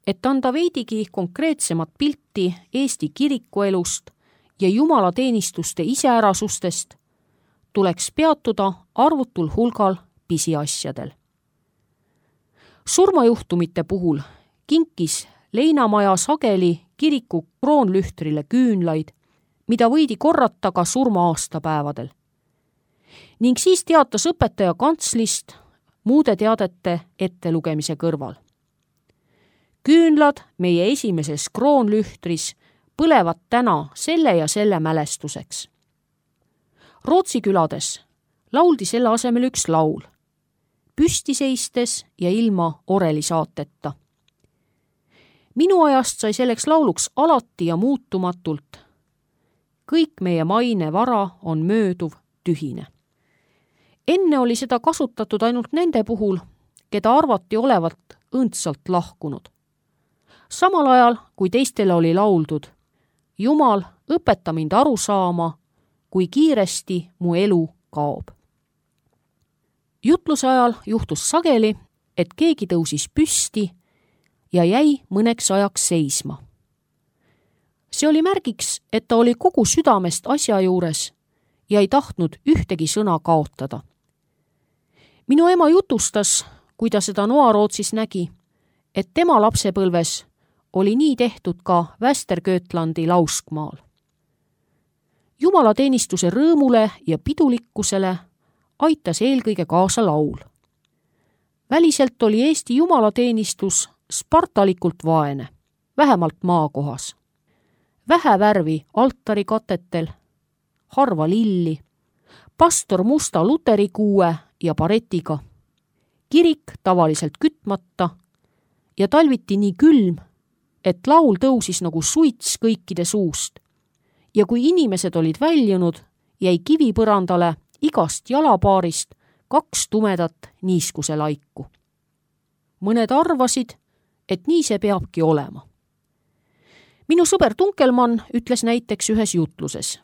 Et anda veidigi konkreetsemat pilti Eesti kirikuelust ja jumalateenistuste iseärasustest, tuleks peatuda arvutul hulgal pisiasjadel. Surmajuhtumite puhul kinkis Leinamaja sageli kiriku kroonlühtrile küünlaid, mida võidi korrata ka surma-aastapäevadel. Ning siis teatas õpetaja kantslist muude teadete ettelugemise kõrval. Küünlad meie esimeses kroonlühtris põlevad täna selle ja selle mälestuseks. Rootsi külades lauldi selle asemel üks laul, püsti seistes ja ilma orelisaateta. Minu ajast sai selleks lauluks alati ja muutumatult: kõik meie maine vara on mööduv tühine. Enne oli seda kasutatud ainult nende puhul, keda arvati olevat õndsalt lahkunud. Samal ajal, kui teistele oli lauldud: Jumal, õpeta mind aru saama, kui kiiresti mu elu kaob. Jutluse ajal juhtus sageli, et keegi tõusis püsti ja jäi mõneks ajaks seisma. See oli märgiks, et ta oli kogu südamest asja juures ja ei tahtnud ühtegi sõna kaotada. Minu ema jutustas, kui ta seda Noa-Rootsis nägi, et tema lapsepõlves oli nii tehtud ka Västergötlandi Lauskmaal. Jumalateenistuse rõõmule ja pidulikkusele aitas eelkõige kaasa laul. Väliselt oli Eesti jumalateenistus spartalikult vaene, vähemalt maakohas. Vähe värvi altarikatetel, harva lilli, pastor musta luterikuue ja baretiga, kirik tavaliselt kütmata ja talviti nii külm, et laul tõusis nagu suits kõikide suust. Ja kui inimesed olid väljunud, jäi kivipõrandale igast jalapaarist 2 tumedat niiskuse laiku. Mõned arvasid, et nii see peabki olema. Minu sõber Tunkelmann ütles näiteks ühes jutluses: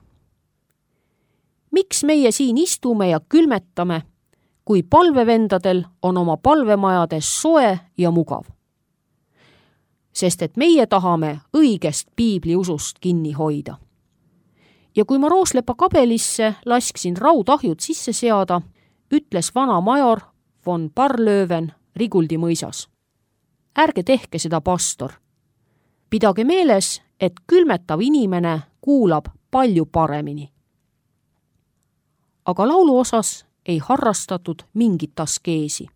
miks meie siin istume ja külmetame, kui palvevendadel on oma palvemajades soe ja mugav? Sest et meie tahame õigest piibliusust kinni hoida. Ja kui ma Rooslepa kabelisse lasksin raudahjud sisse seada, ütles vana major von Barlöven Riguldi mõisas: ärge tehke seda, pastor. Pidage meeles, et külmetav inimene kuulab palju paremini. Aga laulu osas ei harrastatud mingit askeesi.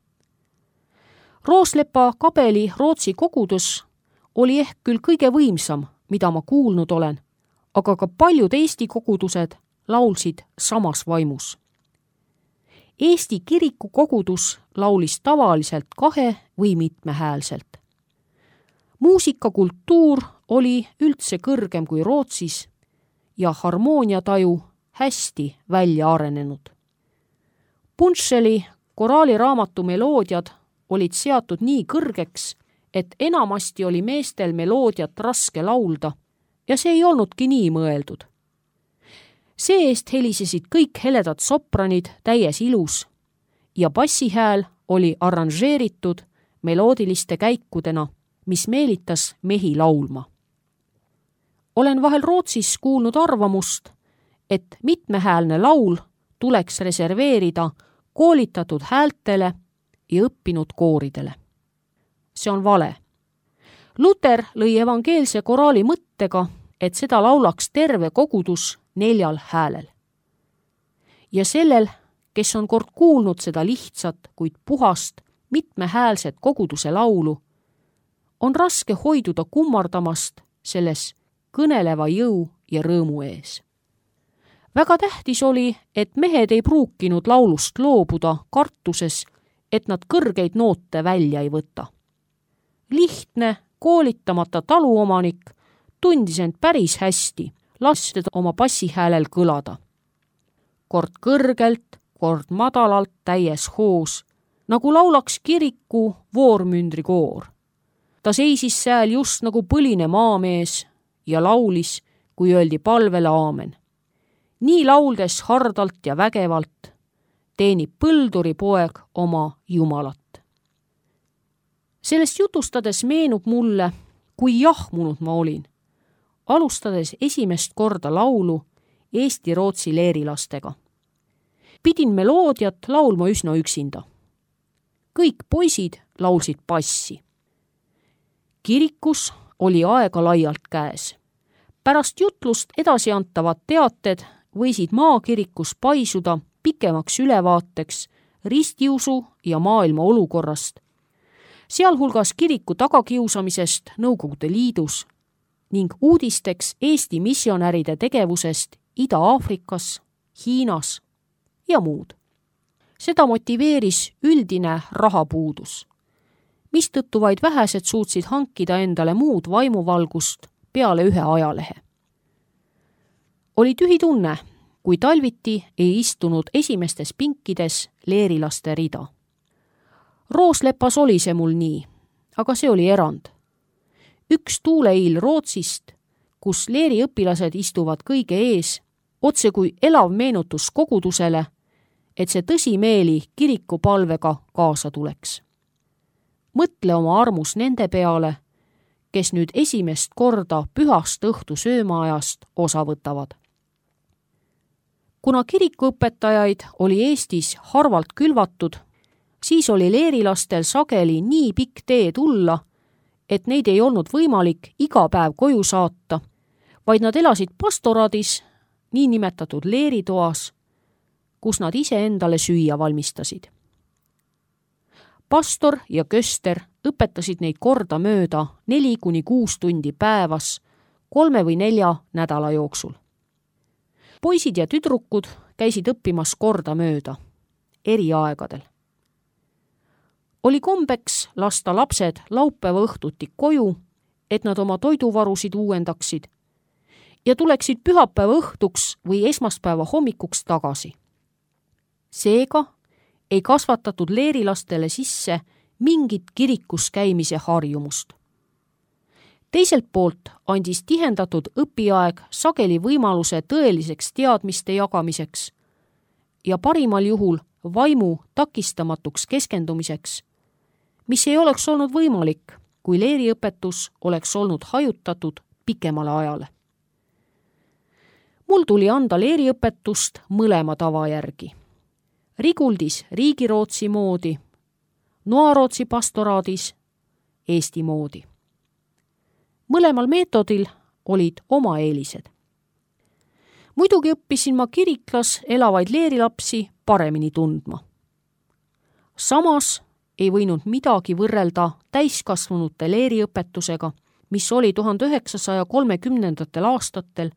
Rooslepa kabeli Rootsi kogudus oli ehk küll kõige võimsam, mida ma kuulnud olen, aga ka paljud Eesti kogudused laulsid samas vaimus. Eesti kiriku kogudus laulis tavaliselt 2 või mitmehäälselt. Muusikakultuur oli üldse kõrgem kui Rootsis ja harmooniataju hästi välja arenenud. Punšeli koraaliraamatu meloodiad olid seatud nii kõrgeks, et enamasti oli meestel meloodiat raske laulda ja see ei olnudki nii mõeldud. See-eest helisesid kõik heledad sopranid täies ilus ja bassihääl oli arranžeeritud meloodiliste käikudena, mis meelitas mehi laulma. Olen vahel Rootsis kuulnud arvamust, et mitmehäälne laul tuleks reserveerida koolitatud häältele ja õppinud kooridele. See on vale. Luter lõi evangeelse koraali mõttega, et seda laulaks terve kogudus 4 häälel. Ja sellel, kes on kord kuulnud seda lihtsat, kuid puhast, mitmehäälset koguduse laulu, on raske hoiduda kummardamast selles kõneleva jõu ja rõõmu ees. Väga tähtis oli, et mehed ei pruukinud laulust loobuda kartuses, et nad kõrgeid noote välja ei võta. Lihtne, koolitamata taluomanik tundis end päris hästi, lastes oma bassihäälel kõlada. Kord kõrgelt, kord madalalt täies hoos, nagu laulaks kiriku voormündrikoor. Ta seisis sääl just nagu põline maamees ja laulis, kui öeldi palvele aamen. Nii lauldes hardalt ja vägevalt teenib põlduri poeg oma Jumalat. Sellest jutustades meenub mulle, kui jahmunud ma olin, alustades esimest korda laulu Eesti-Rootsi leerilastega. Pidin meloodiat laulma üsna üksinda. Kõik poisid laulsid bassi. Kirikus oli aega laialt käes. Pärast jutlust edasiantavad teated võisid maakirikus paisuda pikemaks ülevaateks ristiusu ja maailma olukorrast, sealhulgas kiriku tagakiusamisest Nõukogude Liidus ning uudisteks Eesti missionäride tegevusest Ida-Aafrikas, Hiinas ja muud. Seda motiveeris üldine rahapuudus, mistõttu vaid vähesed suutsid hankida endale muud vaimuvalgust peale ühe ajalehe. Oli tühi tunne, kui talviti ei istunud esimestes pinkides leerilaste rida. Rooslepas oli see mul nii, aga see oli erand. Üks tuuleiil Rootsist, kus leeriõpilased istuvad kõige ees, otse kui elav meenutus kogudusele, et see tõsimeeli kirikupalvega kaasa tuleks. Mõtle oma armus nende peale, kes nüüd esimest korda pühast õhtu söömaajast osa võtavad. Kuna kirikuõpetajaid oli Eestis harvalt külvatud, siis oli leerilastel sageli nii pikk tee tulla, et neid ei olnud võimalik iga päev koju saata, vaid nad elasid pastoraadis, niinimetatud leeritoas, kus nad ise endale süüa valmistasid. Pastor ja köster õpetasid neid korda mööda 4–6 tundi päevas, 3 või 4 nädala jooksul. Poisid ja tüdrukud käisid õppimas korda mööda, eri aegadel. Oli kombeks lasta lapsed laupäeva õhtuti koju, et nad oma toiduvarusid uuendaksid ja tuleksid pühapäeva õhtuks või esmaspäeva hommikuks tagasi. Seega ei kasvatatud leerilastele sisse mingit kirikus käimise harjumust. Teiselt poolt andis tihendatud õpiaeg sageli võimaluse tõeliseks teadmiste jagamiseks ja parimal juhul vaimu takistamatuks keskendumiseks, mis ei oleks olnud võimalik, kui leeriõpetus oleks olnud hajutatud pikemale ajale. Mul tuli anda leeriõpetust mõlema tava järgi. Riguldis Riigirootsi moodi, Noarootsi pastoraadis Eesti moodi. Mõlemal meetodil olid oma eelised. Muidugi õppisin ma kiriklas elavaid leerilapsi paremini tundma. Samas ei võinud midagi võrrelda täiskasvanute leeriõpetusega, mis oli 1930. aastatel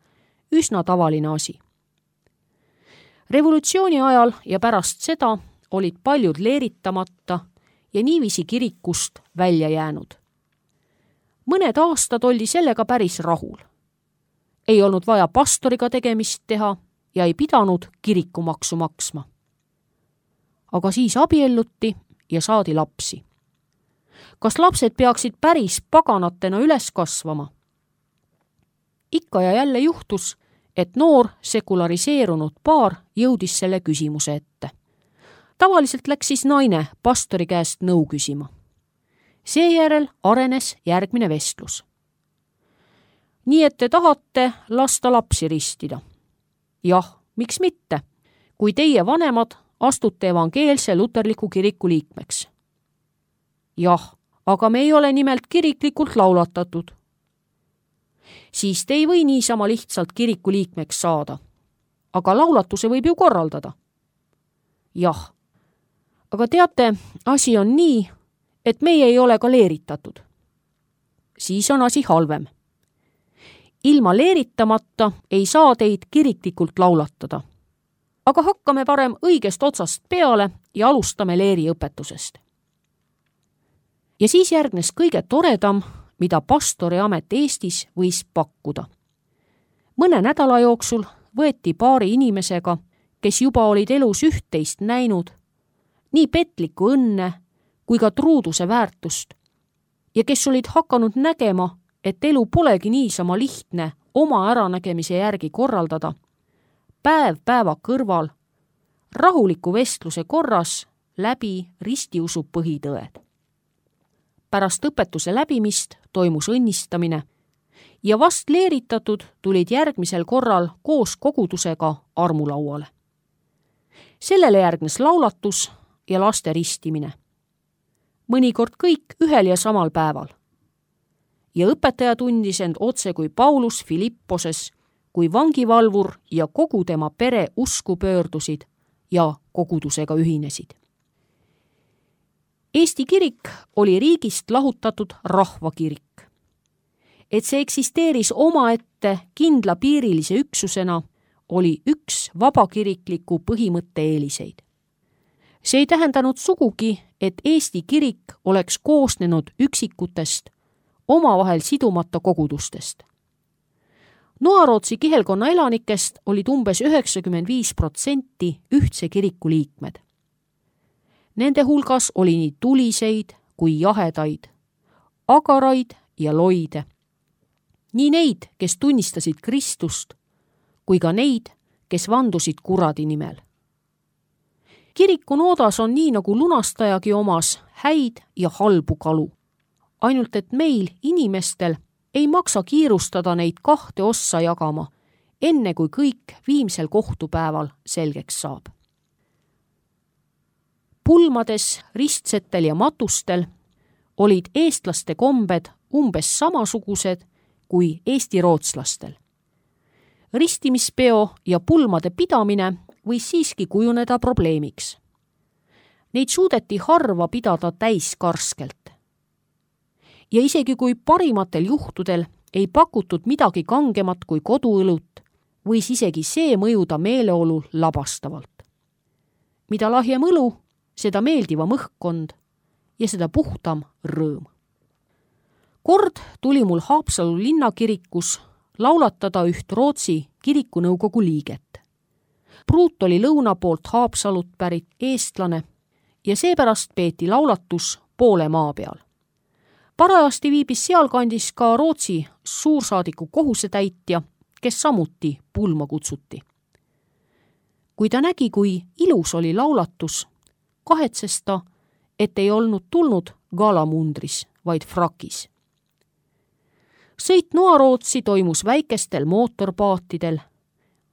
üsna tavaline asi. Revolutsiooni ajal ja pärast seda olid paljud leeritamata ja niiviisi kirikust välja jäänud. Mõned aastad oldi sellega päris rahul. Ei olnud vaja pastoriga tegemist teha ja ei pidanud kirikumaksu maksma. Aga siis abielluti ja saadi lapsi. Kas lapsed peaksid päris paganatena üles kasvama? Ikka ja jälle juhtus, et noor sekulariseerunud paar jõudis selle küsimuse ette. Tavaliselt läks siis naine pastori käest nõu küsima. Seejärel arenes järgmine vestlus. Nii et te tahate lasta lapsi ristida? Jah, miks mitte, kui teie vanemad astute evangeelse luterliku kiriku liikmeks? Jah, aga me ei ole nimelt kiriklikult laulatatud. Siis te ei või niisama lihtsalt kiriku liikmeks saada. Aga laulatuse võib ju korraldada. Jah, aga teate, asi on nii, et meie ei ole ka leeritatud. Siis on asi halvem. Ilma leeritamata ei saa teid kiriklikult laulatada. Aga hakkame parem õigest otsast peale ja alustame leeriõpetusest. Ja siis järgnes kõige toredam, mida pastori amet Eestis võis pakkuda. Mõne nädala jooksul võeti paari inimesega, kes juba olid elus üht-teist näinud, nii petlikku õnne kui ka truuduse väärtust ja kes olid hakanud nägema, et elu polegi niisama lihtne oma äranägemise järgi korraldada, päev päeva kõrval, rahuliku vestluse korras läbi ristiusu põhitõed. pärast õpetuse läbimist toimus õnnistamine ja vast leeritatud tulid järgmisel korral koos kogudusega armulauale. Sellele järgnes laulatus ja laste ristimine. Mõnikord kõik ühel ja samal päeval. Ja õpetaja tundis end otse kui Paulus Filipposes, kui vangivalvur ja kogu tema pere usku pöördusid ja kogudusega ühinesid. Eesti kirik oli riigist lahutatud rahvakirik. Et see eksisteeris omaette kindlapiirilise üksusena, oli üks vabakirikliku põhimõtte eeliseid. See ei tähendanud sugugi, et Eesti kirik oleks koosnenud üksikutest, omavahel sidumata kogudustest. Noarootsi kihelkonna elanikest olid umbes 95% ühtse kiriku liikmed. Nende hulgas oli nii tuliseid kui jahedaid, agaraid ja loide. Nii neid, kes tunnistasid Kristust, kui ka neid, kes vandusid kuradi nimel. Kiriku noodas on nii nagu lunastajagi omas häid ja halbu kalu. Ainult et meil, inimestel, ei maksa kiirustada neid kahte ossa jagama, enne kui kõik viimsel kohtupäeval selgeks saab. Pulmades, ristsetel ja matustel olid eestlaste kombed umbes samasugused kui eesti-rootslastel. Ristimispeo ja pulmade pidamine võis siiski kujuneda probleemiks. Neid suudeti harva pidada täiskarskelt. Ja isegi kui parimatel juhtudel ei pakutud midagi kangemat kui koduõlut, võis isegi see mõjuda meeleolul labastavalt. Mida lahjem õlu, seda meeldivam õhkkond ja seda puhtam rõõm. Kord tuli mul Haapsalu linnakirikus laulatada üht Rootsi kirikunõukogu liiget. Pruut oli lõuna poolt Haapsalut pärit eestlane ja seepärast peeti laulatus poole maa peal. Parajasti viibis sealkandis ka Rootsi suursaadiku kohusetäitja, kes samuti pulma kutsuti. Kui ta nägi, kui ilus oli laulatus, kahetses ta, et ei olnud tulnud galamundris, vaid frakis. Sõit Noarootsi toimus väikestel mootorpaatidel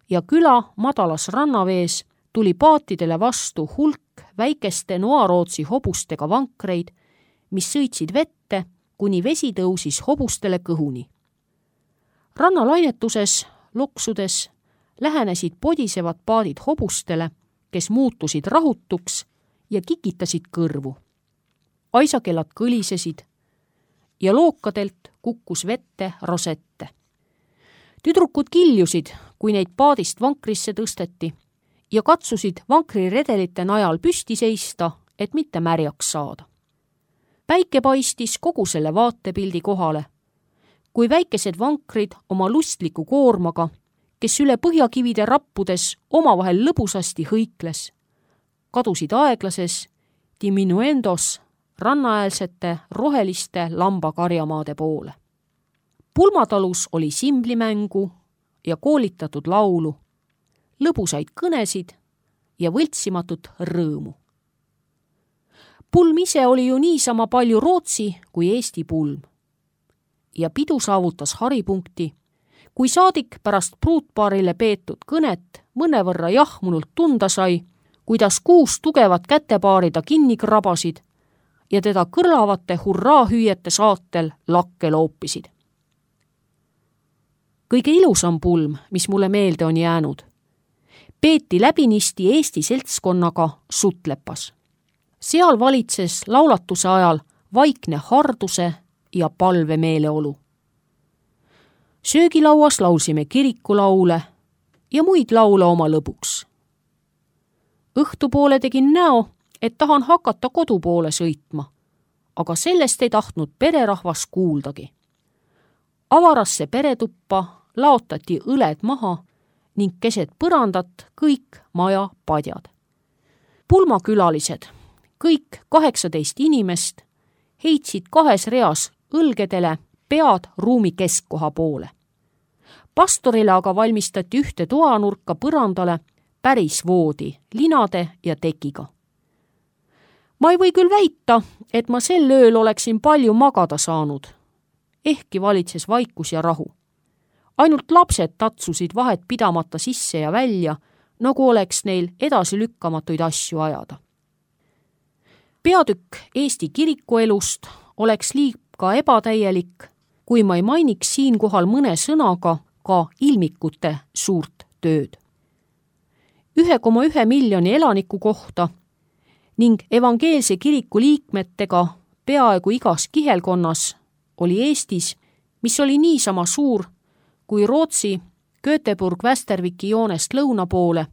ja küla madalas rannavees tuli paatidele vastu hulk väikeste Noarootsi hobustega vankreid, mis sõitsid vette, kuni vesi tõusis hobustele kõhuni. Rannalainetuses, loksudes, lähenesid podisevad paadid hobustele, kes muutusid rahutuks ja kikitasid kõrvu. Aisakellad kõlisesid ja lookadelt kukkus vette rosette. Tüdrukud kiljusid, kui neid paadist vankrisse tõsteti ja katsusid vankriredelite najal püsti seista, et mitte märjaks saada. Päike paistis kogu selle vaatepildi kohale, kui väikesed vankrid oma lustliku koormaga, kes üle põhjakivide rappudes omavahel lõbusasti hõikles, kadusid aeglases diminuendos rannaäälsete roheliste lambakarjamaade poole. Pulmatalus oli simblimängu ja koolitatud laulu, lõbusaid kõnesid ja võltsimatut rõõmu. Pulm ise oli ju niisama palju Rootsi kui Eesti pulm. Ja pidu saavutas haripunkti, kui saadik pärast pruutpaarile peetud kõnet mõnevõrra jahmunult tunda sai, kuidas 6 tugevat kätepaari ta kinni krabasid ja teda kõrlavate hurraahüüete saatel lakke loopisid. Kõige ilusam pulm, mis mulle meelde on jäänud, peeti läbinisti Eesti seltskonnaga Sutlepas. Seal valitses laulatuse ajal vaikne harduse ja palve meeleolu. Söögilauas laulsime kirikulaule ja muid laule oma lõbuks. Õhtupoole tegin näo, et tahan hakata kodu poole sõitma, aga sellest ei tahtnud pererahvas kuuldagi. Avarasse peretuppa laotati õled maha ning keset põrandat kõik maja padjad. Pulmakülalised, kõik 18 inimest, heitsid 2 reas õlgedele pead ruumi keskkoha poole. Pastorile aga valmistati ühte toanurka põrandale päris voodi, linade ja tekiga. Ma ei või küll väita, et ma sel ööl oleksin palju magada saanud. Ehkki valitses vaikus ja rahu. Ainult lapsed tatsusid vahet pidamata sisse ja välja, nagu oleks neil edasilükkamatuid asju ajada. Peatükk Eesti kirikuelust oleks liiga ebatäielik, kui ma ei mainiks siinkohal mõne sõnaga ka ilmikute suurt tööd. 1,1 miljoni elaniku kohta ning evangeelse kiriku liikmetega peaaegu igas kihelkonnas oli Eestis, mis oli niisama suur kui Rootsi Göteborg-Västerviki joonest lõuna poole,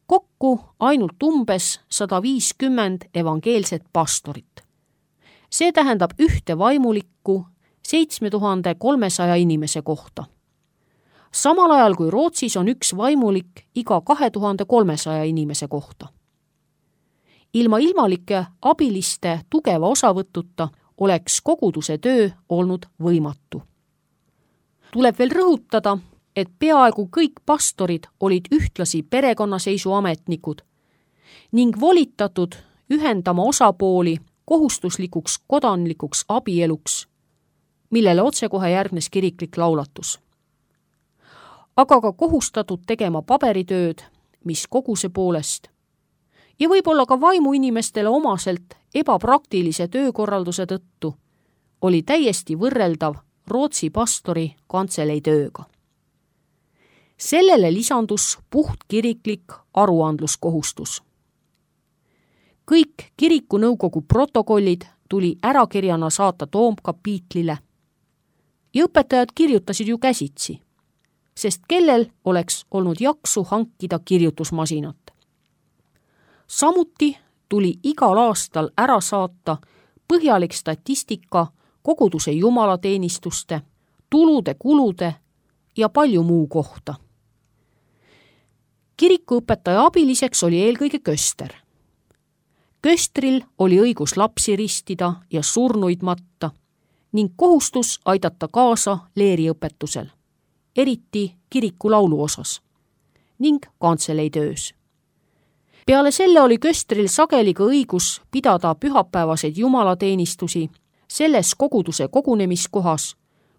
kokku ainult umbes 150 evangeelset pastorit. See tähendab ühte vaimulikku 7300 inimese kohta. Samal ajal kui Rootsis on üks vaimulik iga 2300 inimese kohta. Ilma ilmalike abiliste tugeva osavõtuta oleks koguduse töö olnud võimatu. Tuleb veel rõhutada, et peaaegu kõik pastorid olid ühtlasi perekonnaseisuametnikud ning volitatud ühendama osapooli kohustuslikuks kodanlikuks abieluks, millele otsekohe järgnes kiriklik laulatus. Aga ka kohustatud tegema paberitööd, mis koguse poolest ja võib-olla ka vaimuinimestele omaselt ebapraktilise töökorralduse tõttu oli täiesti võrreldav Rootsi pastori kantselei tööga. Sellele lisandus puhtkiriklik aruandluskohustus. Kõik kirikunõukogu protokollid tuli ärakirjana saata toomkapiitlile ja õpetajad kirjutasid ju käsitsi, sest kellel oleks olnud jaksu hankida kirjutusmasinat. Samuti tuli igal aastal ära saata põhjalik statistika koguduse jumalateenistuste, tulude, kulude ja palju muu kohta. Kirikuõpetaja abiliseks oli eelkõige köster. Köstril oli õigus lapsi ristida ja surnuid matta ning kohustus aidata kaasa leeriõpetusel, eriti kiriku laulu osas ning kantselei töös. Peale selle oli köstril sageli ka õigus pidada pühapäevaseid jumalateenistusi selles koguduse kogunemiskohas,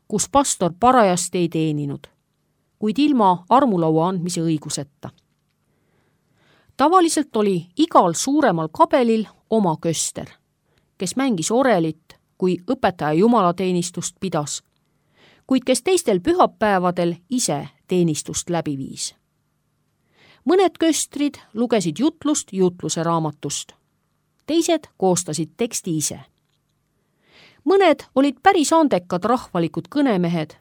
kus pastor parajasti ei teeninud, kuid ilma armulaua andmise õiguseta. Tavaliselt oli igal suuremal kabelil oma köster, kes mängis orelit, kui õpetaja jumalateenistust pidas, kuid kes teistel pühapäevadel ise teenistust läbi viis. Mõned köstrid lugesid jutlust jutluse raamatust, teised koostasid teksti ise. Mõned olid päris andekad rahvalikud kõnemehed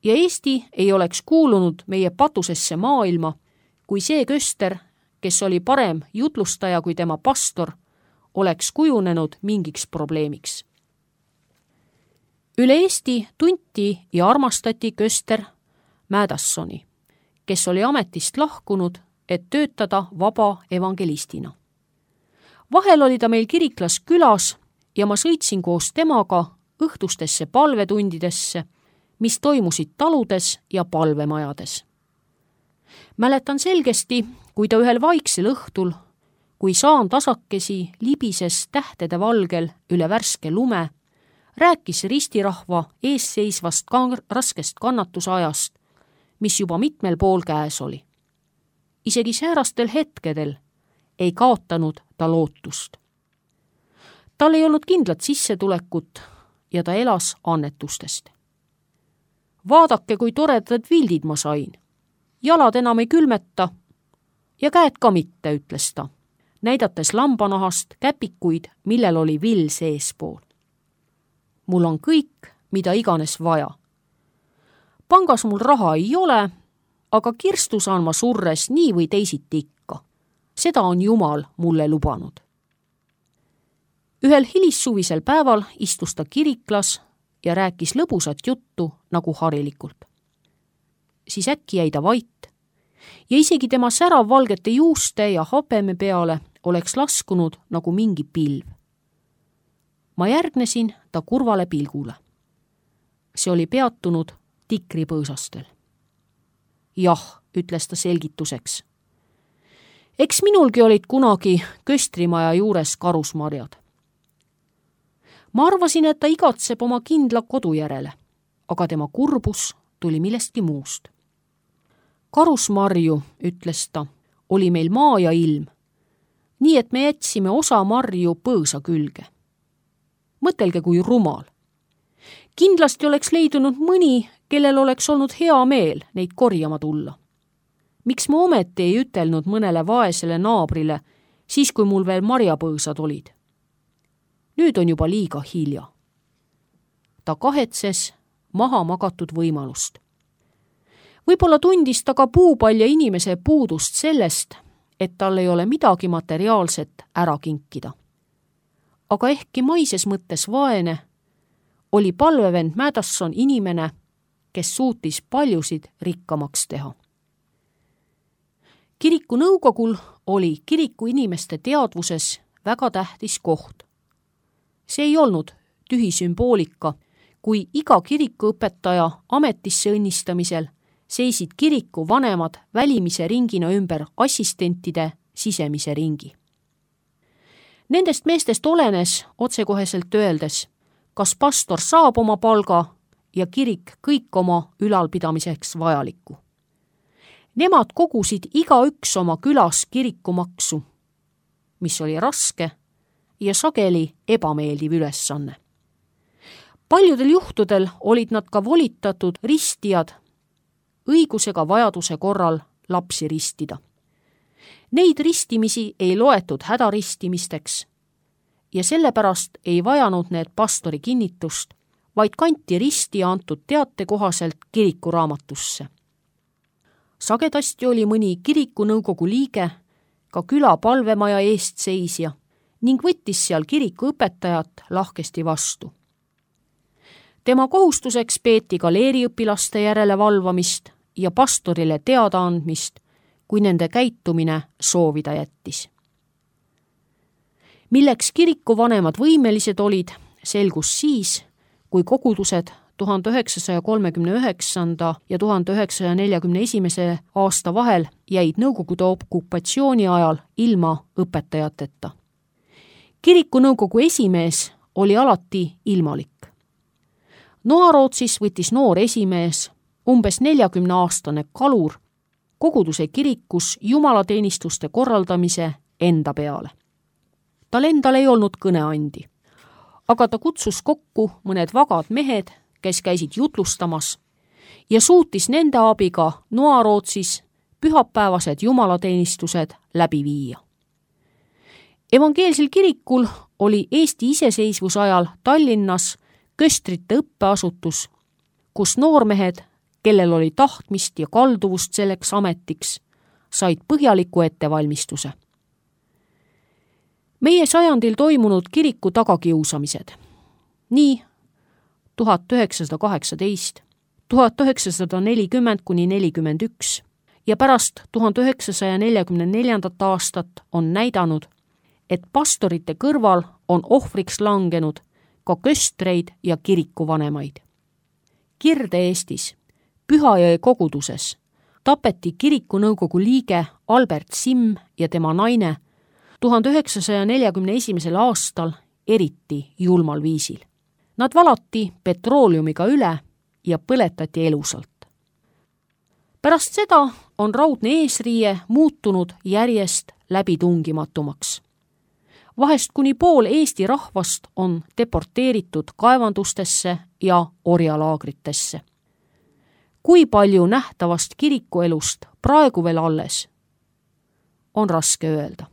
ja Eesti ei oleks kuulunud meie patusesse maailma, kui see köster, kes oli parem jutlustaja kui tema pastor, oleks kujunenud mingiks probleemiks. Üle Eesti tunti ja armastati köster Mädassoni, kes oli ametist lahkunud, et töötada vaba evangelistina. Vahel oli ta meil kiriklas külas ja ma sõitsin koos temaga õhtustesse palvetundidesse, mis toimusid taludes ja palvemajades. Mäletan selgesti, kui ta ühel vaiksel õhtul, kui saan tasakesi libises tähtede valgel üle värske lume, rääkis ristirahva eesseisvast raskest kannatusajast, mis juba mitmel pool käes oli. Isegi säärastel hetkedel ei kaotanud ta lootust. Tal ei olnud kindlat sissetulekut ja ta elas annetustest. Vaadake, kui toredad vildid ma sain. Jalad enam ei külmeta ja käed ka mitte, ütles ta, näidates lambanahast käpikuid, millel oli vill seespool. Mul on kõik, mida iganes vaja. Pangas mul raha ei ole, aga kirstu saan ma surres nii või teisiti ikka. Seda on Jumal mulle lubanud. Ühel hilissuvisel päeval istus ta kiriklas ja rääkis lõbusat juttu nagu harilikult. Siis äkki jäi ta vait ja isegi tema särav valgete juuste ja habeme peale oleks laskunud nagu mingi pilv. Ma järgnesin ta kurvale pilgule. See oli peatunud tikripõõsastel. Jah, ütles ta selgituseks. Eks minulgi olid kunagi köstrimaja juures karusmarjad. Ma arvasin, et ta igatseb oma kindla kodu järele, aga tema kurbus tuli millestki muust. Karusmarju, ütles ta, oli meil maa ja ilm, nii et me jätsime osa marju põõsa külge. Mõtelge, kui rumal. Kindlasti oleks leidunud mõni, kellel oleks olnud hea meel neid korjama tulla. Miks ma ometi ei ütelnud mõnele vaesele naabrile, siis kui mul veel marjapõõsad olid? Nüüd on juba liiga hilja. Ta kahetses maha magatud võimalust. Võib-olla tundis ta ka puupalja inimese puudust sellest, et tal ei ole midagi materiaalset ära kinkida. Aga ehkki maises mõttes vaene, oli palvevend Madison inimene, kes suutis paljusid rikkamaks teha. Kiriku nõukogul oli kiriku inimeste teadvuses väga tähtis koht. See ei olnud tühi sümboolika, kui iga kirikuõpetaja ametisse õnnistamisel seisid kiriku vanemad välimise ringina ümber assistentide sisemise ringi. Nendest meestest olenes otsekoheselt öeldes, kas pastor saab oma palga ja kirik kõik oma ülalpidamiseks vajalikku. Nemad kogusid igaüks oma külas kirikumaksu, mis oli raske ja sageli ebameeldiv ülesanne. Paljudel juhtudel olid nad ka volitatud ristijad, õigusega vajaduse korral lapsi ristida. Neid ristimisi ei loetud hädaristimisteks ja sellepärast ei vajanud need pastori kinnitust, vaid kanti risti antud teate kohaselt kirikuraamatusse. Sagedasti oli mõni kirikunõukogu liige ka küla palvemaja eestseisja ning võttis seal kirikuõpetajat lahkesti vastu. Tema kohustuseks peeti ka leeriõpilaste järele valvamist ja pastorile teada andmist, kui nende käitumine soovida jättis. Milleks kirikuvanemad võimelised olid, selgus siis, kui kogudused 1939. ja 1941. aasta vahel jäid Nõukogude okupatsiooni ajal ilma õpetajateta. Kirikunõukogu esimees oli alati ilmalik. Noarootsis võttis noor esimees, umbes 40-aastane kalur, koguduse kirikus jumalateenistuste korraldamise enda peale. Tal endal ei olnud kõneandi, aga ta kutsus kokku mõned vagad mehed, kes käisid jutlustamas ja suutis nende abiga Noarootsis pühapäevased jumalateenistused läbi viia. Evangeelsel kirikul oli Eesti iseseisvusajal Tallinnas köstrite õppeasutus, kus noormehed, kellel oli tahtmist ja kalduvust selleks ametiks, said põhjaliku ettevalmistuse. Meie sajandil toimunud kiriku tagakiusamised, nii 1918, 1940–41 ja pärast 1944. aastat on näidanud, et pastorite kõrval on ohvriks langenud ka köstreid ja kirikuvanemaid. Kirde-Eestis, Pühajõe koguduses, tapeti kirikunõukogu liige Albert Simm ja tema naine 1941. aastal eriti julmal viisil. Nad valati petrooliumiga üle ja põletati elusalt. Pärast seda on raudne eesriie muutunud järjest läbitungimatumaks. Vahest kuni pool Eesti rahvast on deporteeritud kaevandustesse ja orjalaagritesse. Kui palju nähtavast kirikuelust praegu veel alles, on raske öelda.